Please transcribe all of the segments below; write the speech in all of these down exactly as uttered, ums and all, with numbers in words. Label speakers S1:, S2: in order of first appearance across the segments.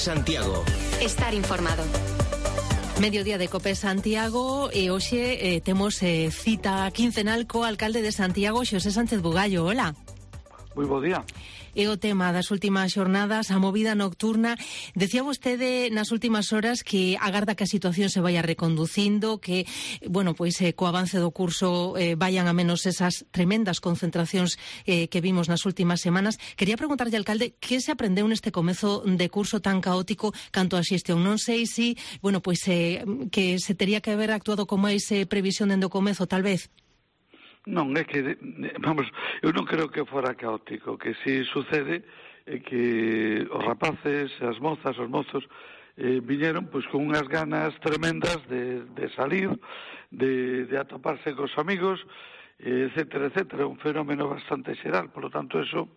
S1: Santiago.
S2: Estar informado.
S3: Mediodía de Cope Santiago e hoxe eh, temos eh, cita quincenal co alcalde de Santiago, Xosé Sánchez Bugallo. Hola.
S4: Moi bo día.
S3: E o tema das últimas xornadas, a movida nocturna. Decía vostede nas últimas horas que agarda que a situación se vaya reconducindo, que, bueno, pois eh, co avance do curso eh, vayan a menos esas tremendas concentracións eh, que vimos nas últimas semanas. Quería preguntarlle, alcalde, que se aprendeu neste comezo de curso tan caótico canto a xestión? Non sei se, bueno, pois eh, que se tería que haber actuado con máis eh, previsión dende o comezo, tal vez.
S4: Non, é que, vamos, eu non creo que fora caótico, que si sucede é que os rapaces, as mozas, os mozos eh, viñeron pois con unhas ganas tremendas de, de salir, de, de atoparse cos amigos, etcétera, etcétera, un fenómeno bastante xeral, por lo tanto, eso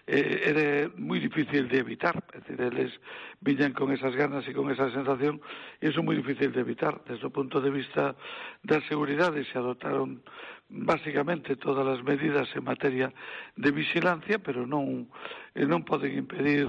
S4: eh, era moi difícil de evitar, é dicir, eles viñan con esas ganas e con esa sensación, e eso é moi difícil de evitar. Desde o punto de vista da seguridade se adotaron básicamente todas as medidas en materia de vigilancia, pero non, eh, non poden impedir,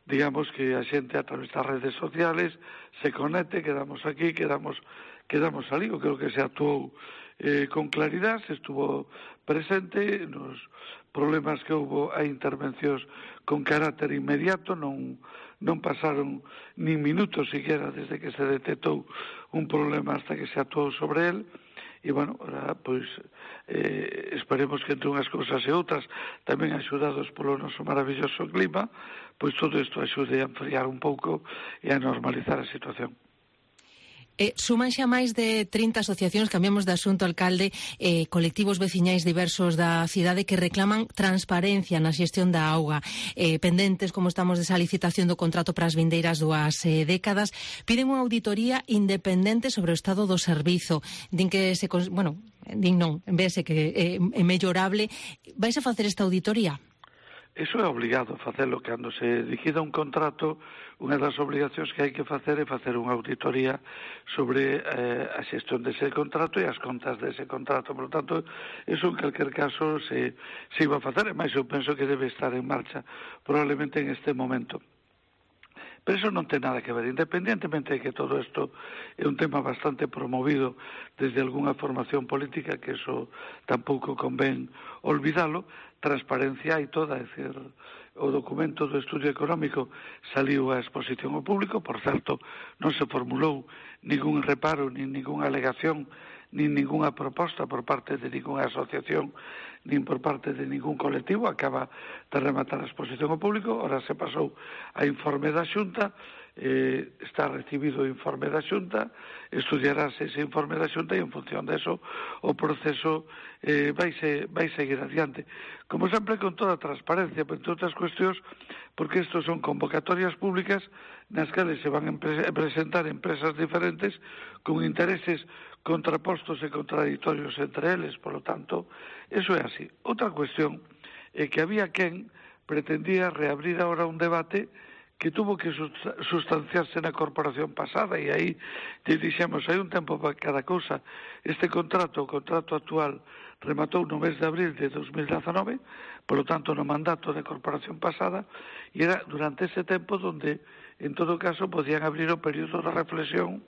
S4: digamos, que a xente a través das redes sociales se conecte, quedamos aquí, quedamos, quedamos ali. Eu creo que se actuou Eh, con claridad, se estuvo presente nos problemas que houve a intervencións con carácter inmediato, non, non pasaron nin minutos siquiera desde que se detectou un problema hasta que se actuou sobre el, e, bueno, ahora, pois, eh, esperemos que entre unhas cousas e outras, tamén axudados polo noso maravilloso clima, pois todo isto axude a enfriar un pouco e a normalizar a situación.
S3: Eh, suman xa máis de trinta asociacións, cambiamos de asunto, alcalde, eh, colectivos veciñais diversos da cidade que reclaman transparencia na xestión da auga, eh, pendentes, como estamos, desa licitación do contrato para as vindeiras dúas eh, décadas. Piden unha auditoría independente sobre o estado do servizo. Din que se, bueno, din non, en vez de que eh, é mellorable. Vais a facer esta auditoría?
S4: Eso é obligado facelo cando se liquida un contrato. Unha das obligacións que hai que facer é facer unha auditoría sobre eh, a xestión dese contrato e as contas dese contrato. Por lo tanto, eso en calquer caso se, se iba a facer, e máis eu penso que debe estar en marcha probablemente en este momento. Pero eso non ten nada que ver, independientemente de que todo isto é un tema bastante promovido desde algunha formación política, que eso tampouco convén olvidalo. Transparencia hai toda, é dicir, o documento do estudio económico saliu a exposición ao público, por certo, non se formulou ningún reparo, nin ninguna alegación, nin ninguna proposta por parte de ninguna asociación, nin por parte de ningún colectivo. Acaba de rematar a exposición ao público, ora se pasou a informe da Xunta, eh, está recibido o informe da Xunta, estudiarase ese informe da Xunta e en función de eso o proceso eh, vai, se, vai seguir adiante. Como sempre, con toda a transparencia, pero entre outras cuestións, porque estos son convocatorias públicas nas que se van a presentar empresas diferentes con intereses contrapostos e contradictorios entre eles, por lo tanto, eso é así. Outra cuestión é que había quen pretendía reabrir ahora un debate que tuvo que sustanciarse na corporación pasada, e aí te dixemos, hai un tempo para cada cousa. Este contrato, o contrato actual, rematou no mes de abril de dos mil dezanove, por lo tanto no mandato da corporación pasada, e era durante ese tempo donde, en todo caso, podían abrir o período de reflexión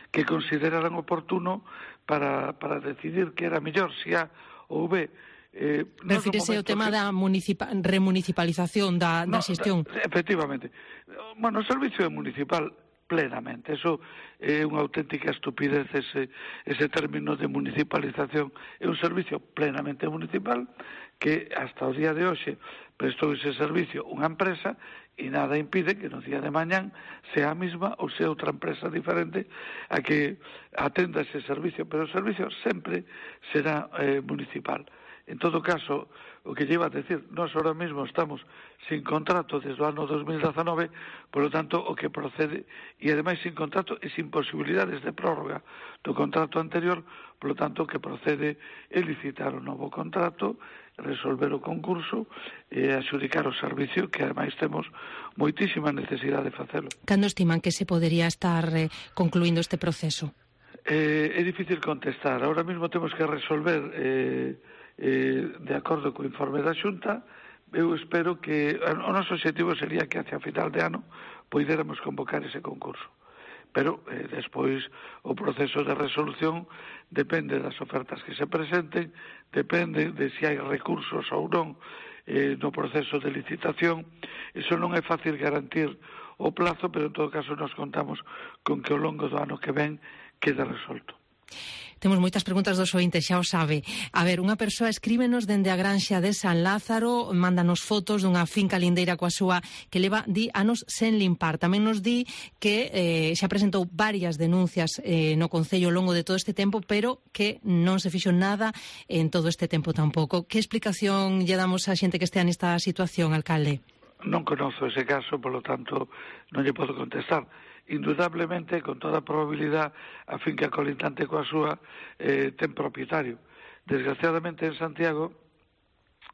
S4: que consideraran oportuno para, para decidir que era mellor, se A ou B.
S3: Eh, Refírese ao tema que... da remunicipalización da, no, da xestión.
S4: Efectivamente. Bueno, o servicio é municipal plenamente. Eso é unha auténtica estupidez, ese, ese término de municipalización. É un servicio plenamente municipal que hasta o día de hoxe prestou ese servicio unha empresa, e nada impide que no día de mañán sea a mesma ou sea outra empresa diferente a que atenda ese servicio, pero o servicio sempre será eh, municipal. En todo caso, o que lleva a decir, nós ahora mesmo estamos sin contrato desde o ano dos mil dezanove, por lo tanto, o que procede, e ademais sin contrato e sin posibilidades de prórroga do contrato anterior, por lo tanto, o que procede é licitar un novo contrato, resolver o concurso e adxudicar o servicio, que ademais temos moitísima necesidade de facelo.
S3: Cando estiman que se podería estar eh, concluindo este proceso?
S4: Eh, é difícil contestar. Ahora mesmo temos que resolver... Eh, Eh, de acordo co informe da Xunta, eu espero que o noso objetivo sería que hacia final de ano poidéramos convocar ese concurso. Pero eh, despois o proceso de resolución depende das ofertas que se presenten, depende de se hai recursos ou non eh, no proceso de licitación. Iso non é fácil garantir o plazo, pero en todo caso nos contamos con que ao longo do ano que ven quede resolto.
S3: Temos moitas preguntas dos ointes, xa o sabe. A ver, unha persoa escríbenos dende a granxa de San Lázaro, mándanos fotos dunha finca lindeira coa súa que leva di anos sen limpar. Tamén nos di que eh, xa presentou varias denuncias eh, no Concello ao longo de todo este tempo, pero que non se fixo nada en todo este tempo tampouco. Que explicación lle damos a xente que estea nesta situación, alcalde?
S4: Non conozo ese caso, polo tanto non lle podo contestar. Indudablemente, con toda a probabilidade, a finca colindante coa súa eh, ten propietario. Desgraciadamente en Santiago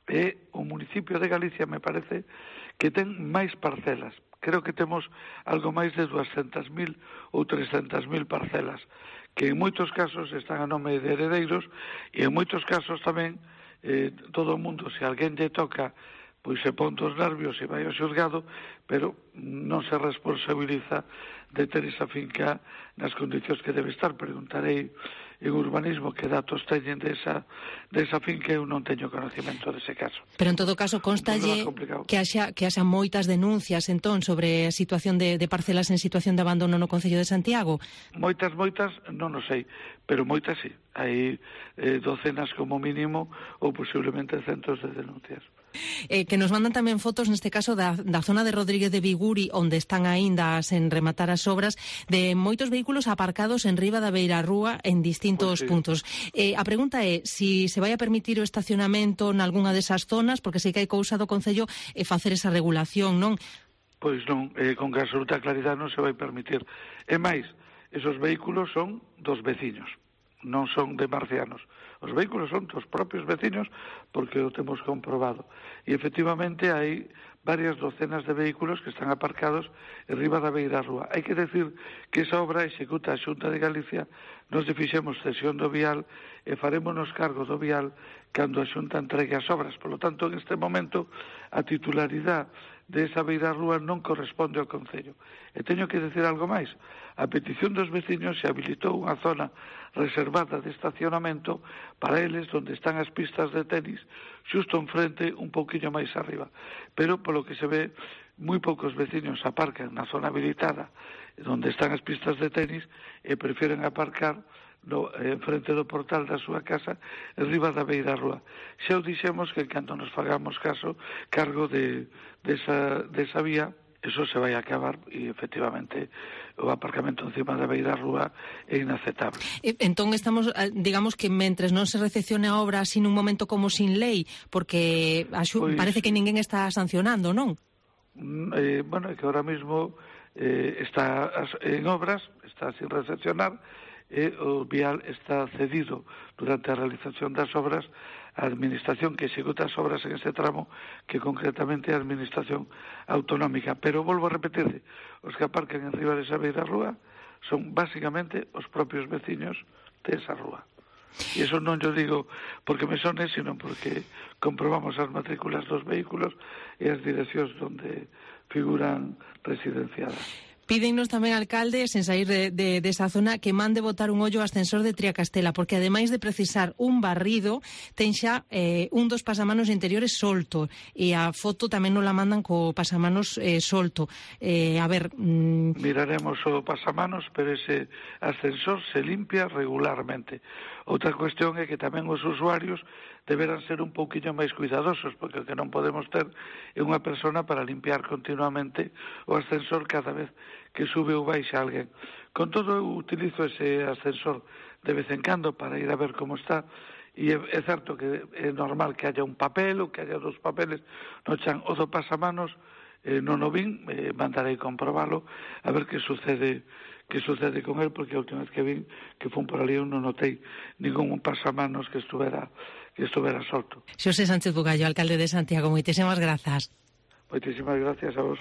S4: é o municipio de Galicia, me parece, que ten máis parcelas. Creo que temos algo máis de doscientas mil ou trescentas mil parcelas, que en moitos casos están a nome de heredeiros e en moitos casos tamén eh, todo o mundo, se alguén lle toca, pois se pon dos nervios e vai ao xulgado, pero non se responsabiliza de ter esa finca nas condicións que debe estar. Preguntarei en urbanismo que datos teñen desa, desa finca, eu non teño conocimento dese caso.
S3: Pero en todo caso constalle que haxa, que haxa moitas denuncias entón sobre a situación de, de parcelas en situación de abandono no Concello de Santiago?
S4: Moitas, moitas, non o sei, pero moitas sí. Hai eh, docenas como mínimo ou posiblemente centos de denuncias.
S3: Eh, que nos mandan tamén fotos, neste caso, da, da zona de Rodríguez de Viguri, onde están aínda sen rematar as obras, de moitos vehículos aparcados en riba da beira rúa en distintos pues sí. puntos. Eh, a pregunta é si se vai a permitir o estacionamento nalgúna desas zonas, porque sei que hai cousa do Concello e facer esa regulación, non?
S4: Pois non, eh, con que absoluta claridade non se vai permitir. E máis, esos vehículos son dos veciños, non son de marcianos. Os vehículos son dos propios veciños porque o temos comprobado. E efectivamente hai varias docenas de vehículos que están aparcados en riba da beira rúa. Hai que decir que esa obra executa a Xunta de Galicia, nos fixemos cesión do vial e farémonos cargo do vial cando a Xunta entregue as obras. Por lo tanto, en este momento, a titularidade de esa beira rúa non corresponde ao Concello. E teño que decir algo máis. A petición dos veciños se habilitou unha zona reservada de estacionamento para eles onde están as pistas de tenis, xusto enfrente, un pouquiño máis arriba. Pero, polo que se ve, moi poucos veciños aparcan na zona habilitada onde están as pistas de tenis e prefieren aparcar no, en frente do portal da súa casa en riba da beira rúa. Xa o dixemos que cando nos fagamos caso cargo de, de, esa, de esa vía, eso se vai a acabar e efectivamente o aparcamento encima da beira rúa é inaceptable.
S3: Entón estamos, digamos que mentres non se recepcione a obra así nun momento como sin lei, porque a xu, pois, parece que ninguén está sancionando, non?
S4: Eh, bueno, é que ahora mismo eh, está en obras, está sin recepcionar, e o vial está cedido durante a realización das obras a administración que executa as obras en ese tramo, que concretamente é a administración autonómica. Pero volvo a repetir, os que aparcan en riba desa beira rúa son basicamente os propios veciños de esa rúa. E iso non yo digo porque me sone, sino porque comprobamos as matrículas dos vehículos e as direccións onde figuran residenciadas.
S3: Pídennos tamén, alcalde, sen sair de, de, de esa zona, que mande botar un ollo ao ascensor de Triacastela, porque ademais de precisar un barrido, ten xa eh, un dos pasamanos interiores solto, e a foto tamén nos la mandan co pasamanos eh, solto. Eh, a ver... Mm...
S4: Miraremos o pasamanos, pero ese ascensor se limpia regularmente. Outra cuestión é que tamén os usuarios deberán ser un pouquiño máis cuidadosos, porque o que non podemos ter é unha persona para limpiar continuamente o ascensor cada vez que sube ou baixa alguén. Con todo, eu utilizo ese ascensor de vez en cando para ir a ver como está, e é, é certo que é normal que haya un papel ou que haya dos papeles no chan. O do pasamanos eh, non o vin, eh, mandarei comprobalo a ver que sucede que sucede con él, porque a última vez que vin que fun por ali eu non notei ningún pasamanos que estuvera que estuvera solto.
S3: Xosé Sánchez Bugallo, alcalde de Santiago, moitísimas grazas.
S4: Moitísimas gracias a vos.